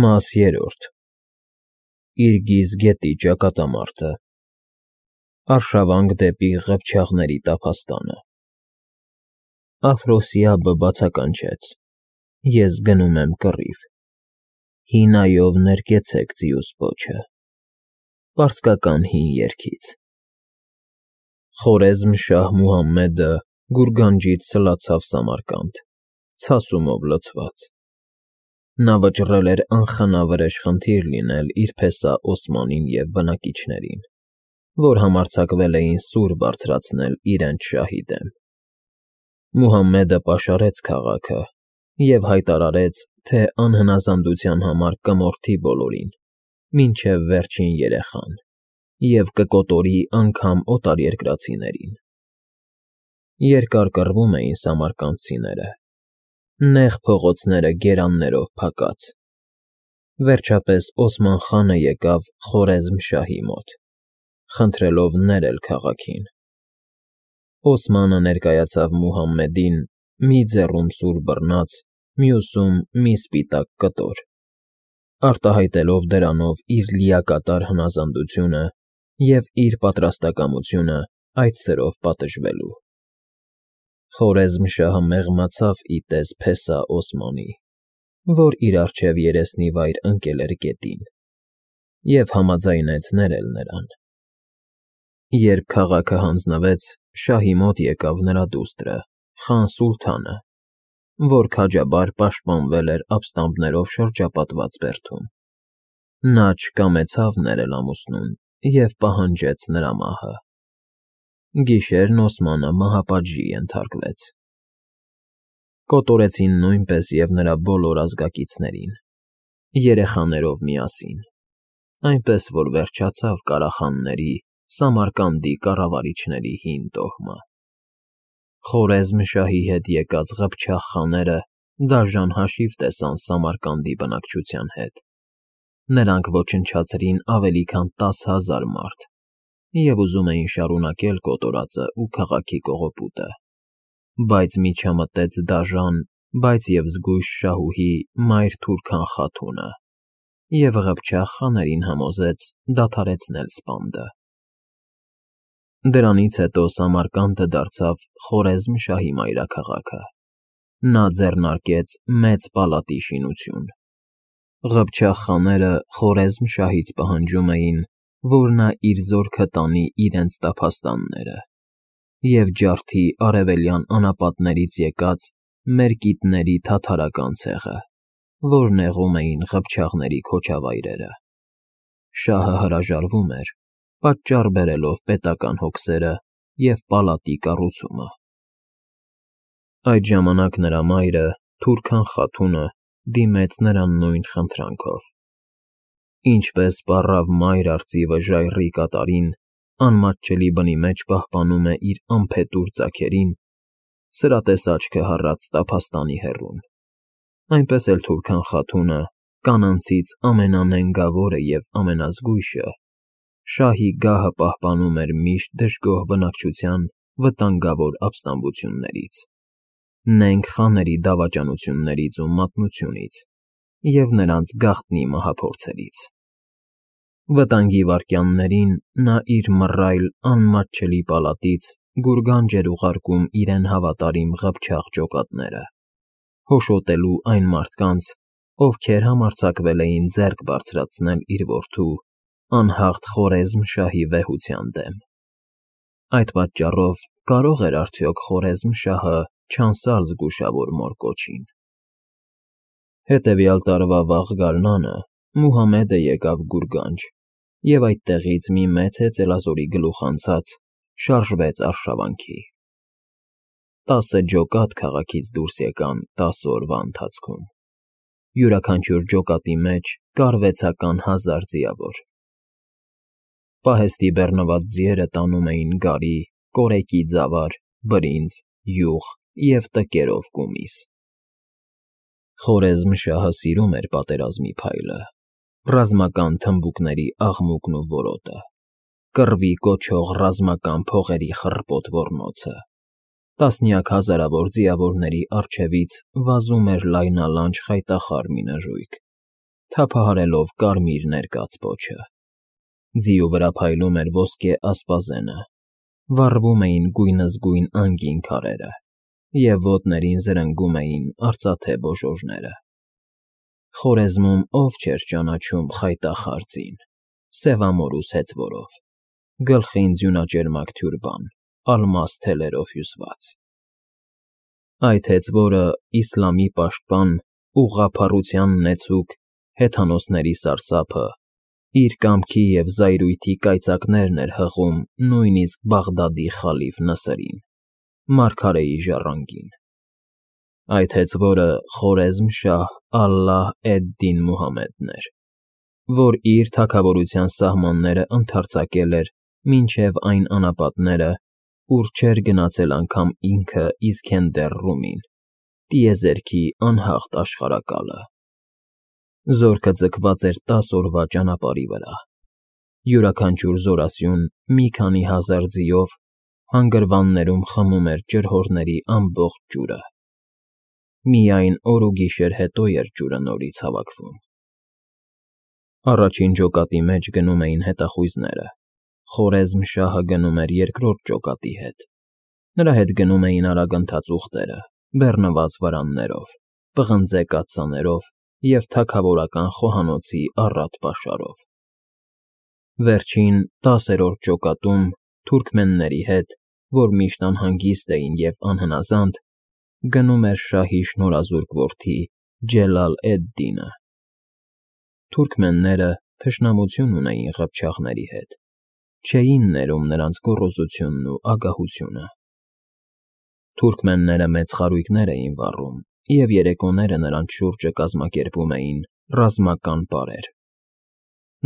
Մաս 3 Իրգիզ գետի ճակատամարտը Արշավանք դեպի Ղփչաղների տափաստանը Աֆրոսիաբը բացականչեց. Ես գնում եմ կռիվ, հինայով ներկեցեք ձիուս պոչը, պարսկական հին երգից։ Խորեզմ-շահ Մուհամմեդը գուրգանջից սլացավ Սամարկանդ, ցասումով լցված։ Նա վճռել էր անխնա վրեժ խնդիր լինել իր փեսա Օսմանին և բնակիչներին, որ համարձակվել էին սուր բարձրացնել իրենց շահի դեմ։ Մուհամմեդը պաշարեց քաղաքը և հայտարարեց, թե անհնազանդության համար կմորթի բոլորին, մինչև վերջին երեխան, և կկոտորի անգամ օտարերկրացիներին։ Երկար կռվում էին սամարկանդցիները, նեղ փողոցները գերաններով փակած։ Վերջապես Օսման խանը եկավ Խորեզմ֊շահի մոտ, խնդրելով ներել քաղաքին։ Օսմանը ներկայացավ Մուհամմեդին մի ձեռում սուր բռնած, մյուսում մի սպիտակ կտոր, արտահայտելով դրանով իր լիակատար հնազանդությունը և իր պատրաստակամությունը այդ սրով պատժվելու։ Խորեզմ֊շահը մեղմացավ ի տես փեսա Օսմանի, որ իր առջև երեսնի վայր ընկել էր գետին, և համաձայնեց ներել նրան։ Երբ քաղաքը հանձնվեց, շահի մոտ եկավ նրա դուստրը՝ խան Սուլթանը, որ քաջաբար պաշտպանվել էր ապստամբներով շրջապատված բերդում։ Նա չկամեցավ ներել ամուսնուն և պահանջեց նրա մահը։ Գիշերն Օսմանը մահապատժի ենթարկվեց։ Կոտորեցին նույնպես և նրա բոլոր ազգակիցներին, երեխաներով միասին, այնպես որ վերջացավ Կարախանների, Սամարկանդի կառավարիչների հին տոհմը։ Խորեզմ֊շահի հետ եկած Ղփչաղ խաները դաժան հաշիվ տեսան Սամարկանդի բնակչության հետ։ Նրանք ոչնչացրին ավելի քան 10,000 մարդ և ուզում էին շարունակել կոտորածը ու քաղաքի կողոպուտը, բայց միջամտեց դաժան, բայց և զգույշ շահուհի Մայր Թուրքան խաթունը և Ղփչաղ խաներին համոզեց դադարեցնել սպանդը։ Դրանից հետո Սամարկանդը դարձավ Խորեզմ֊շահի մայրաքաղաքը։ Նա ձեռնարկեց մեծ պալատի շինություն։ Ղփչաղ խաները Խորեզմ֊շահից պահանջում էին, որ նա իր զորքը տանի իրենց տափաստանները և ջարդի արևելյան անապատներից եկած մերկիտների թաթարական ցեղը, որ նեղում էին Ղփչաղների քոչավայրերը։ Շահը հրաժարվում էր, պատճառ բերելով պետական հոգսերը և պալատի կառուցումը։ Այդ ժամանակ նրա մայրը՝ Թուրքան խաթունը, դիմեց նրան նույն խնդրանքով։ Ինչպես պառավ մայր արծիվը ժայռի կատարին անմատչելի բնի մեջ պահպանում է իր անփետուր ծագերին, սրատես աչքը հառած տափաստանի հեռուն, այնպես էլ Թուրքան խաթունը, կանանցից ամենանենգավորը և ամենազգույշը, շահի գահը պահպանում էր միշտ դժգոհ բնակչության վտանգավոր ապստամբություններից, նենգ խաների դավաճանություններից ու մատնությունից և նրանց գաղտնի մահափորձերից։ Վտանգի վայրկյաններին նա իր մռայլ, անմատչելի պալատից գուրգանջ էր ուղարկում իրեն հավատարիմ Ղփչաղ ջոկատները, հոշոտելու այն մարդկանց, ովքեր համարձակվել էին ձեռք բարձրացնել իր որդու՝ անհաղթ Խորեզմ֊շահի վեհության դեմ։ Այդ պատճառով կարո՞ղ էր արդյոք Խորեզմ֊շահը չանսալ զգուշավոր մոր կոչին։ Հետևյալ տարվա վաղ գարնանը Մուհամմեդը եկավ Գուրգանջ և այդտեղից մի մեծ հեծելազորի գլուխ անցած շարժվեց արշավանքի։ 10 ջոկատ քաղաքից դուրս եկան 10 օրվա ընթացքում։ Յուրաքանչյուր ջոկատի մեջ կար 6-ական 1000 ձիավոր։ Պահեստի բեռնված ձիերը տանում էին գարի, կորեկի ձավար, բրինձ, յուղ և տկերով կումիս։ Խորեզմ֊շահը սիրում էր պատերազմի փայլը, ռազմական թմբուկների աղմուկն ու որոտը, կռվի կոչող ռազմական փողերի խռպոտ ոռնոցը։ Տասնյակ հազարավոր ձիավորների առջևից վազում էր լայնալանջ խայտախառ մի նժույգ, թափահարելով կարմիր ներկած պոչը։ Ձիու վրա փայլում էր ոսկե ասպազենը, վառվում էին գույնզգույն անգին քարերը, և ոտներին զրնգում էին արծաթե բոժոժները։ Խորեզմում ով չէր ճանաչում խայտախար ձին, սևամորուս հեծվորով, գլխին ձյունաճերմակ թյուրբան, ալմաս թելերով հյուսված։ Այդ հեծվորը իսլամի պաշտպան, ուղղափառության նեցուկ, հեթանոսների սարսափը, իր կամքի և զայրույթի կայծակներն էր հղում նույնիսկ Բաղդադի խալիֆ Նասրին, մարգարեի ժառանգին։ Այդ հեծվորը Խորեզմ֊շահ Ալլահ էդ-Դին Մուհամմեդն էր, որ իր թագավորության սահմանները ընդարձակել էր մինչև այն անապատները, ուր չէր գնացել անգամ ինքը Իսքենդեր Ռումին, տիեզերքի անհաղթ աշխարհակալը։ Զորքը ձգված էր 10 օրվա ճանապարհի վրա, յուրաքանչյուր զորասյուն մի քանի հազար ձիով հանգրվաններում խմում էր ջրհորների ամբողջ ջուրը։ Միայն օր ու գիշեր հետո էր ջուրը նորից հավաքվում։ Առաջին ջոկատի մեջ գնում էին հետախույզները, Խորեզմ֊շահը գնում էր երկրորդ ջոկատի հետ։ Նրա հետ գնում էին արագընթաց ուղտերը, բեռնված վրաններով, պղնձե կաթսաներով և թագավորական խոհանոցի առատ պաշարով։ Վերջին 10-րդ ջոկատում թուրքմենների հետ, որ միշտ անհանգիստ էին և անհնազանդ, գնում էր շահի շնորհազուրկ որդի Ջելալ էդ-Դինը։ Թուրքմենները թշնամություն ունեին ղփչաղների հետ, չէին ներում նրանց գոռոզությունն ու ագահությունը։ Թուրքմենները մեծ խարույկներ էին վառում, և երեկոները նրանց շուրջը կազմակերպում էին ռազմական պարեր։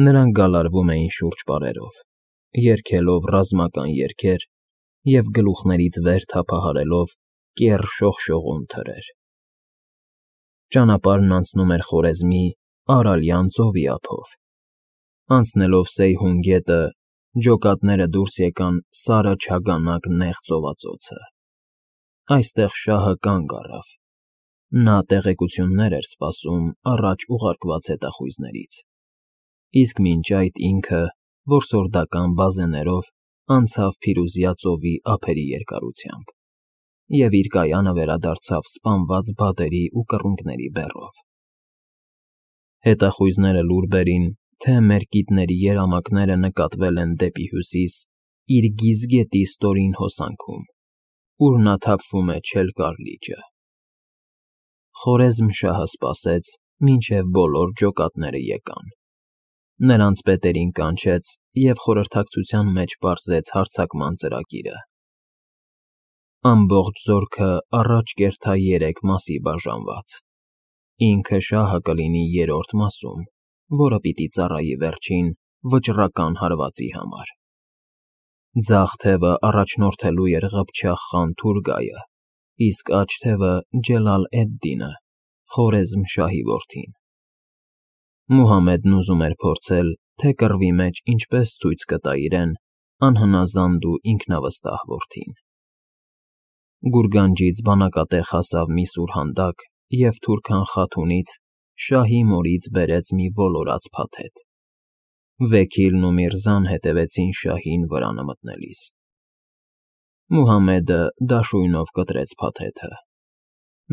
Նրանք գալարվում էին շուրջ պարերով, երգելով ռազմական երգեր և գլուխներից վեր թափահարելով կեռ շողշողուն թրեր։ Ճանապարհն անցնում էր Խորեզմի Արալյան ծովի ափով։ Անցնելով Սեյհուն գետը, ջոկատները դուրս եկան սարը չագանակ նեղ ծովածոցը։ Այստեղ շահը կանգ առավ։ Նա տեղեկություններ էր սպասում առաջ ուղարկված հետախույզներից, իսկ մինչ այդ ինքը որսորդական բազեներով անցավ Փիրուզյա ծովի ափերի երկարությամբ և իր կայանը վերադարձավ սպանված բադերի ու կռունկների բեռով։ Հետախույզները լուր բերին, թե մերկիտների երամակները նկատվել են դեպի հյուսիս իր գիզգետի ստորին հոսանքում, ուր նա թափվում է Չելկար լիճը։ Խորեզմ֊շահը սպասեց, մինչև բոլոր ջոկատները եկան։ Նրանց պետերին կանչեց և խորհրդակցության մեջ պարզեց հարձակման ծրագիրը։ Ամբողջ զորքը առաջ կերտա 3 մասի բաժանված։ Ինքը շահը կլինի 3-րդ մասում, որը պիտի ծառայի վերջին վճռական հարվածի համար։ Ձախ թևը առաջնորդելու էր ղփչաղ խան Թուրգայը, իսկ աջ թևը Ջելալ էդ-Դինը, Խորեզմ֊շահի որդին։ Մուհամմեդն ուզում էր փորձել, թե կռվի մեջ ինչպես ցույց կտա իրեն անհնազանդ ու ինքնավստահ որդին։ Գուրգանջից բանակատեղ հասավ մի սուրհանդակ և Թուրքան Խաթունից շահի մորից բերեց մի ոլորած փաթեթ։ Վեքիլն ու Միրզան հետևեցին շահին վրանը մտնելիս։ Մուհամմեդը դաշույնով կտրեց փաթեթը։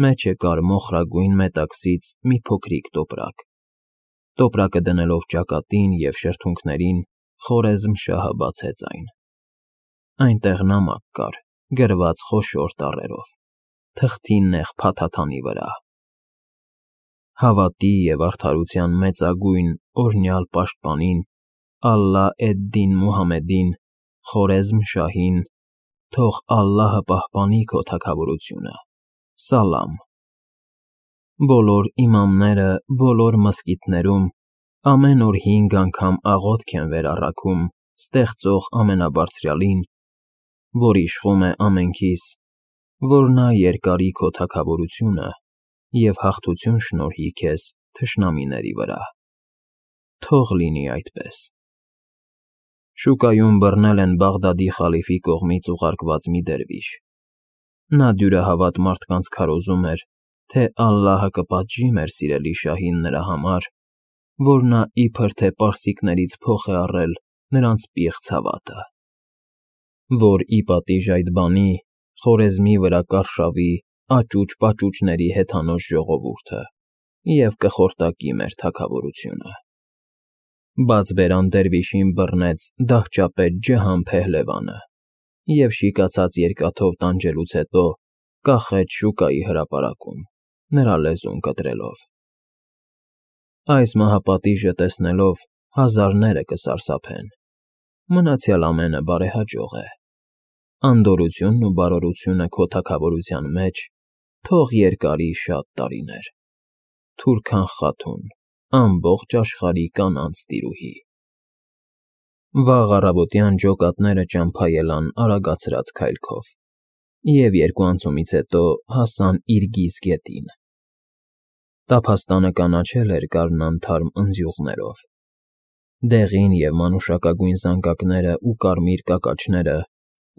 Մեջը կար մոխրագույն մետաքսից մի փոքրիկ տոպրակ։ Տոպրակը դնելով ճակատին և շրթունքներին, Խորեզմ֊շահը բացեց այն։ Այնտեղ նամակ կար, գրված խոշոր տառերով, թղթի նեղ փաթաթանի վրա. Հավատի և արդարության մեծագույն օրհնյալ պաշտպանին Ալլահ էդ-Դին Մուհամմեդին, Խորեզմ֊շահին, թող Ալլահը պահպանի քո թագավորությունը, Սալամ։ Բոլոր իմամները բոլոր մզկիթներում ամեն օր 5 անգամ աղոթք են վերառաքում ստեղծող ամենաբարձրյալին, որ իշխում է ամենքիս, որ նա երկարի քո թագավորությունը և հաղթություն շնորհի քեզ թշնամիների վրա։ Թող լինի այդպես։ Շուկայում բռնել են Բաղդադի խալիֆի կողմից ուղարկված մի դերվիշ։ Նա դյուրահավատ մարդկանց քարոզում էր, թե Ալլահը կպատժի մեր սիրելի շահին նրա համար, որ նա իբր թե պարսիկներից փող է առել նրանց պիղծ հավատը, որ ի պատիժ այդ բանի Խորեզմի վրա կարշավի աճուճ֊պաճուճների հեթանոց ժողովուրդը և կխորտակի մեր թագավորությունը։ Բաց բերան դերվիշին բռնեց դահճապետ Ջհան Փեհլևանը և շիկացած երկաթով տանջելուց հետո կախեց շուկայի հրապարակում, նրա լեզուն կտրելով։ Այս մահապատիժը տեսնելով հազարները կսարսափեն, մնացյալ ամենը բարեհաջող է։ Անդորրությունն ու բարօրությունը քո թագավորության մեջ թող երկարի շատ տարիներ։ Թուրքան Խաթուն, ամբողջ աշխարհի կանանց տիրուհի։ Վաղ առավոտյան ջոկատները ճամփա ելան արագացրած քայլքով և երկու անցումից հետո հասան Իրգիզ գետին։ Տափաստանը կանաչել էր գարնանթարմ ընձյուղներով։ Դեղին և մանուշակագույն զանգակները ու կարմիր կակաչները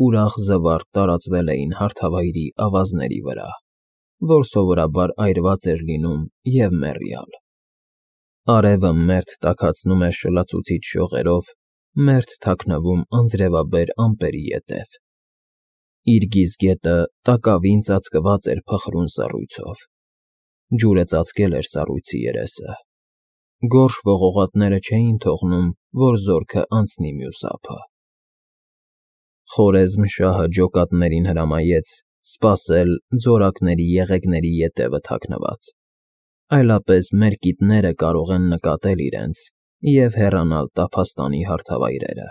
ուրախ զվարթ տարածվել էին հարթավայրի ավազների վրա, որ սովորաբար այրված էր լինում և մեռյալ։ Արևը մերթ տաքացնում էր շլացուցիչ շողերով, մերթ թաքնվում անձրևաբեր ամպերի ետև։ Իրգիզ գետը տակավին ծածկված էր փխրուն սառույցով։ Ջուրը ծածկել էր սառույցի երեսը։ Գորշ ողողատները չէին թողնում, որ զորքը անցնի մյուս ափը։ Խորեզմ շահը ջոկատներին հրամայեց սպասել ձորակների եղեգների ետևը թաքնված, այլապես մերկիտները կարող են նկատել իրենց և հեռանալ տափաստանի հարթավայրերը։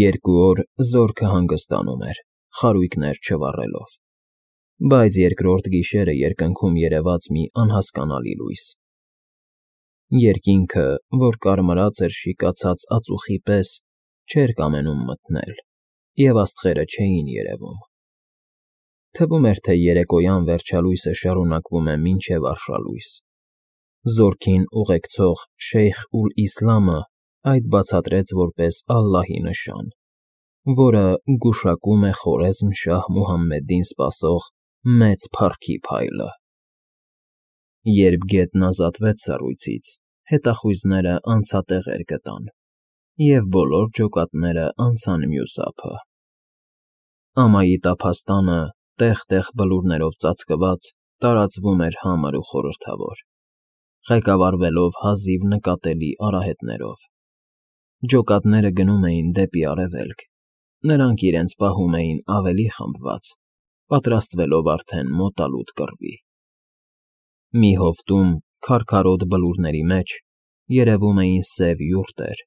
2 օր զորքը հանգստանում էր, խարույկներ չվառելով, բայց երկրորդ գիշերը երկնքում երևաց մի անհասկանալի լույս։ Երկինքը, որ կարմրած էր շիկացած ածուխի պես, չէր կամենում մթնել, և աստղերը չէին երևում։ Թվում էր, թե երեկոյան վերջալույսը շարունակվում է մինչև արշալույս։ Զորքին ուղեկցող Շեյխ Ուլ֊Իսլամը այդ բացատրեց որպես Ալլահի նշան, որը գուշակում է Խորեզմ շահ Մուհամմեդին սպասող մեծ փառքի փայլը։ Երբ գետն ազատվեց սառույցից, հետախույզները անցատեղեր գտան, և բոլոր ջոկատները անցան մյուս ափը։ Ամայի տափաստանը, տեղ֊տեղ բլուրներով ծածկված, տարածվում էր համր ու խորհրդավոր, ղեկավարվելով հազիվ նկատելի արահետներով։ Ջոկատները գնում էին դեպի արևելք, նրանք իրենց պահում էին ավելի խմբված, պատրաստվելով արդեն մոտալուտ կռվի։ Մի հովտում, քարքարոտ բլուրների մեջ, երևում էին սև յուրտեր։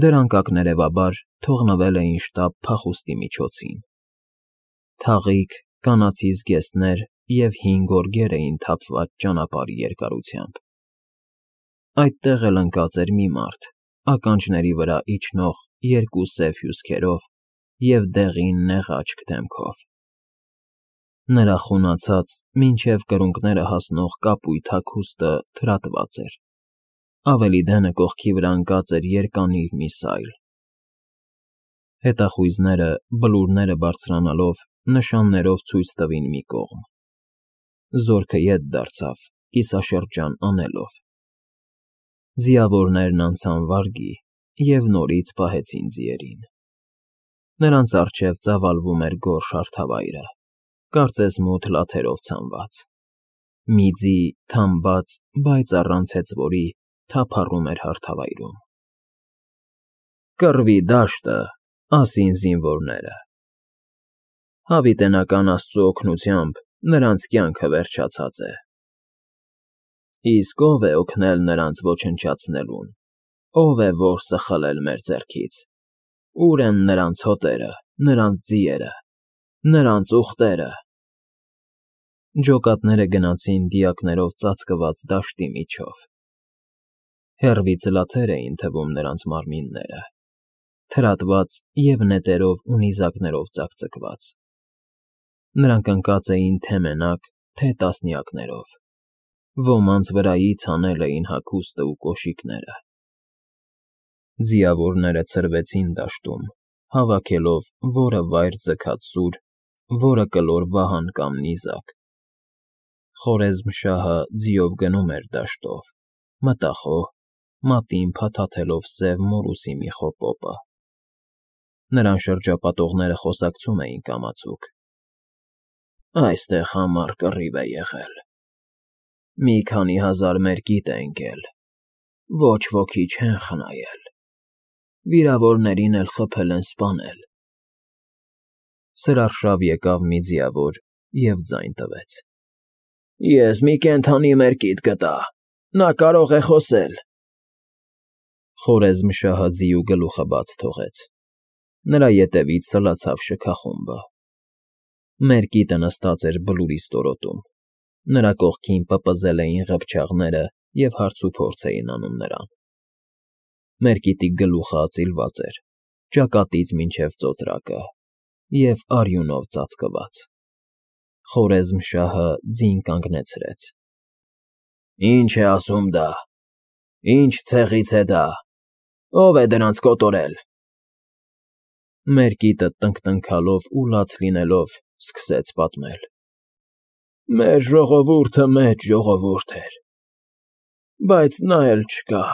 Դրանք ակներևաբար թողնվել էին շտապ փախուստի միջոցին։ Թաղիկ, կանացի զգեստներ և 5 գորգեր էին թափված ճանապարհի երկարությամբ։ Այդտեղ էլ ընկած էր մի մարդ, ականջների վրա իջնող 2 սև հյուսքերով և դեղին նեղաճք դեմքով։ Նրա խունացած, մինչև կրունկները հասնող կապույտ հագուստը թրատված էր, ավելի դենը կողքի վրա ընկած էր երկանիվ մի սայլ։ Հետախույզները, բլուրները բարձրանալով, նշաններով ցույց տվին մի կողմ։ Զորքը ետ դարձավ, կիսաշրջան անելով։ Ձիավորներն անցան վարգի և նորից պահեցին ձիերին։ Նրանց առջև ծավալվում էր գորշ հարթավայրը, կարծես մութ լաթերով ցանված։ Մի ձի, թամբած, բայց առանց հեծվորի, թափառում էր հարթավայրում։ «Կռվի դաշտը», ասին զինվորները։ Հավիտենական Աստծու օգնությամբ նրանց կյանքը վերջացած է։ Իսկ ո՞վ է օգնել նրանց ոչնչացնելուն, ո՞վ է որսը խլել մեր ձեռքից։ Ո՞ւր են նրանց հոտերը, նրանց ձիերը, նրանց ուղտերը։ Ջոկատները գնացին դիակներով ծածկված դաշտի միջով։ Հեռվից լաթեր էին թվում նրանց մարմինները, թրատված և նետերով ու նիզակներով ծակծկված։ Նրանք ընկած էին թե մենակ, թե տասնյակներով։ Ոմանց վրայից հանել էին հագուստը ու կոշիկները։ Ձիավորները ցրվեցին դաշտում, հավաքելով որը վայր ձգած սուր, որը կլոր վահան կամ նիզակ։ Խորեզմ շահը ձիով գնում էր դաշտով, մտախոհ, մատին փաթաթելով սև մորուսի մի խոպոպը։ Նրան շրջապատողները խոսակցում էին կամացուկ։ Այստեղ համառ կռիվ է եղել։ Մի քանի հազար մերկիտ է ընկել, ոչ ոքի չեն խնայել, վիրավորներին էլ խփել են սպանել։ Սրարշավ եկավ մի ձիավոր և ձայն տվեց. Ես մի կենդանի մերկիտ գտա, նա կարող է խոսել։ Խորեզմշահը ձիու գլուխը բաց թողեց, նրա ետևից սլացավ շքախումբը։ Մերկիտը նստած էր բլուրի ստորոտում, նրա կողքին պպզել էին ղփչաղները և հարցուփորձ էին անում նրան։ Մերկիտի գլուխը ածիլված էր, ճակատից մինչև ծոծրակը և արյունով ծածկված։ Խորեզմշահը ձին կանգնեցրեց։ Ինչ է ասում դա, ինչ ցեղից է դա, ով է դրանց կոտորել։ Մերկիտը տնկտնքալով ու լաց լինելով սկսեց պատմել. Մեր ժողովուրդը մեծ ժողովուրդ էր, բայց նա էլ չկա։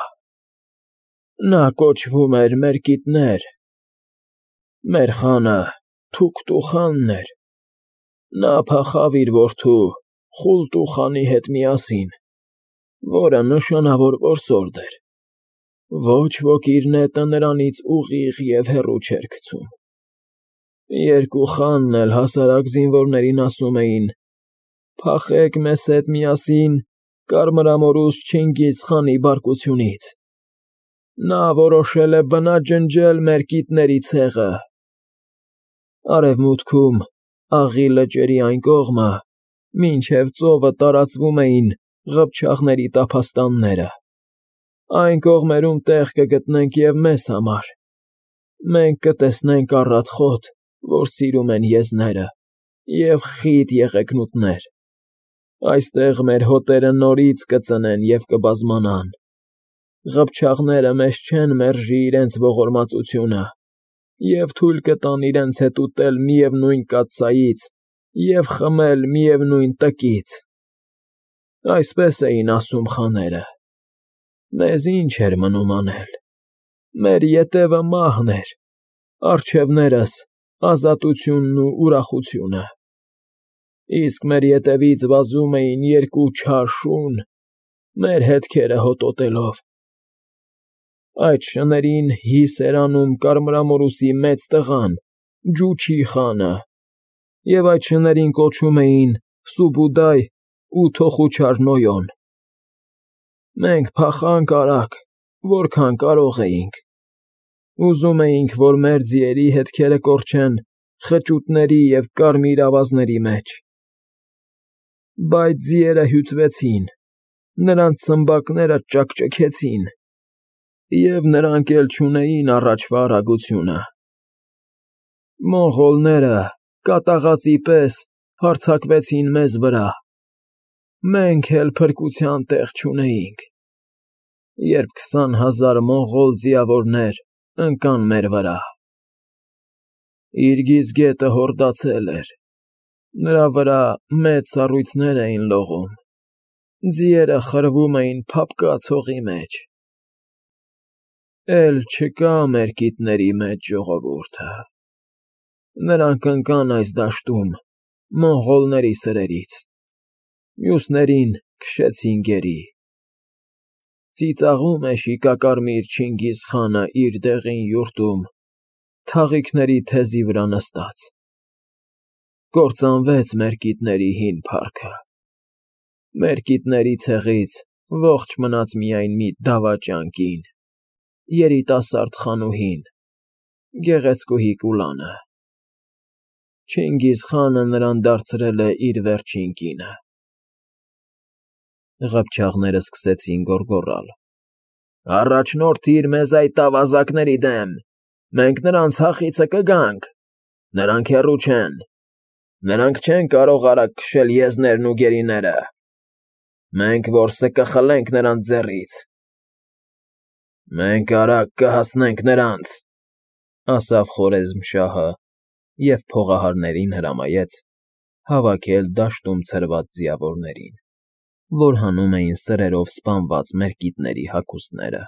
Նա կոչվում էր Մերկիտներ։ Մեր խանը Թուկտու խանն էր։ Նա փախավ իր որդու Խուլտու խանի հետ միասին, որը նշանավոր որսորդ էր։ Ոչ ոք իր նետը նրանից ուղիղ և հեռու չէր գցում։ Երկու խանն էլ հասարակ զինվորներին ասում էին. «Փախեք մեզ հետ միասին կարմրամորուս Չինգիզ խանի բարկությունից։ Նա որոշել է բնաջնջել Մերկիտների ցեղը»։ Արևմուտքում, Աղի լճերի այն կողմը, մինչև ծովը տարածվում էին ղփչաղների տափաստանները։ Այն կողմերում տեղ կգտնենք և մեզ համար։ Մենք կտեսնենք առատ խոտ, որ սիրում են եզները, և խիտ եղեգնուտներ։ Այստեղ մեր հոտերը նորից կծնեն և կբազմանան։ Ղփչաղները մեզ չեն մերժի իրենց ողորմածությունը և թույլ կտան իրենց հետ ուտել միևնույն կաթսայից և խմել միևնույն տկից։ Այսպես էին ասում խաները։ Մեզ ինչ էր մնում անել։ Մեր ետևը մահն էր, առջևներս ազատությունն ու ուրախությունը։ Իսկ մեր ետևից վազում էին երկու չար շուն, մեր հետքերը հոտոտելով։ Այդ շներին հիս էր անում կարմրամորուսի մեծ տղան, Ջուչի խանը, և այդ շներին կոչում էին Սուբուդայ ու Թոխուչար Նոյոն։ Մենք փախանք արագ, որքան կարող էինք։ Ուզում էինք, որ մեր ձիերի հետքերը կորչեն խճուտների և կարմիր ավազների մեջ։ Բայց ձիերը հյուծվեցին, նրանց ցմբակները ճաքճքեցին, և նրանք էլ չունեին առաջվա արագությունը։ Մոնղոլները կատաղածի պես հարձակվեցին մեզ վրա։ Մենք էլ փրկության տեղ չունեինք, երբ 20,000 մոնղոլ ձիավորներ ընկան մեր վրա։ Իրգիզ գետը հորդացել էր, նրա վրա մեծ սառույցներ էին լողում, ձիերը խրվում էին փափկած հողի մեջ։ Էլ չկա Մերկիտների մեծ ժողովուրդը։ Նրանք ընկան այս դաշտում մոնղոլների սրերից, մյուսներին քշեցին գերի։ Ծիծաղում է շիկակարմիր Չինգիզ խանը իր դեղին յուրտում, թաղիքների թեզի վրա նստած։ Կործանվեց Մերկիտների հին փառքը։ Մերկիտների ցեղից ողջ մնաց միայն մի դավաճան կին, երիտասարդ խանուհին, գեղեցկուհի Կուլանը։ Չինգիզ խանը նրան դարձրել է իր վերջին կինը։ Ղփչաղները սկսեցին գոռգոռալ. Առաջնորդիր մեզ այդ ավազակների դեմ, մենք նրանց հախիցը կգանք, նրանք հեռու չեն, նրանք չեն կարող արագ քշել եզներն ու գերիները, մենք որսը կխլենք նրանց ձեռից։ Մենք արագ կհասնենք նրանց, ասավ Խորեզմշահը և փողահարներին հրամայեց հավաքել դաշտում ցրված ձիավորներին։ որ հանում էին սրերով սպանված մեր կիթների հագուստները։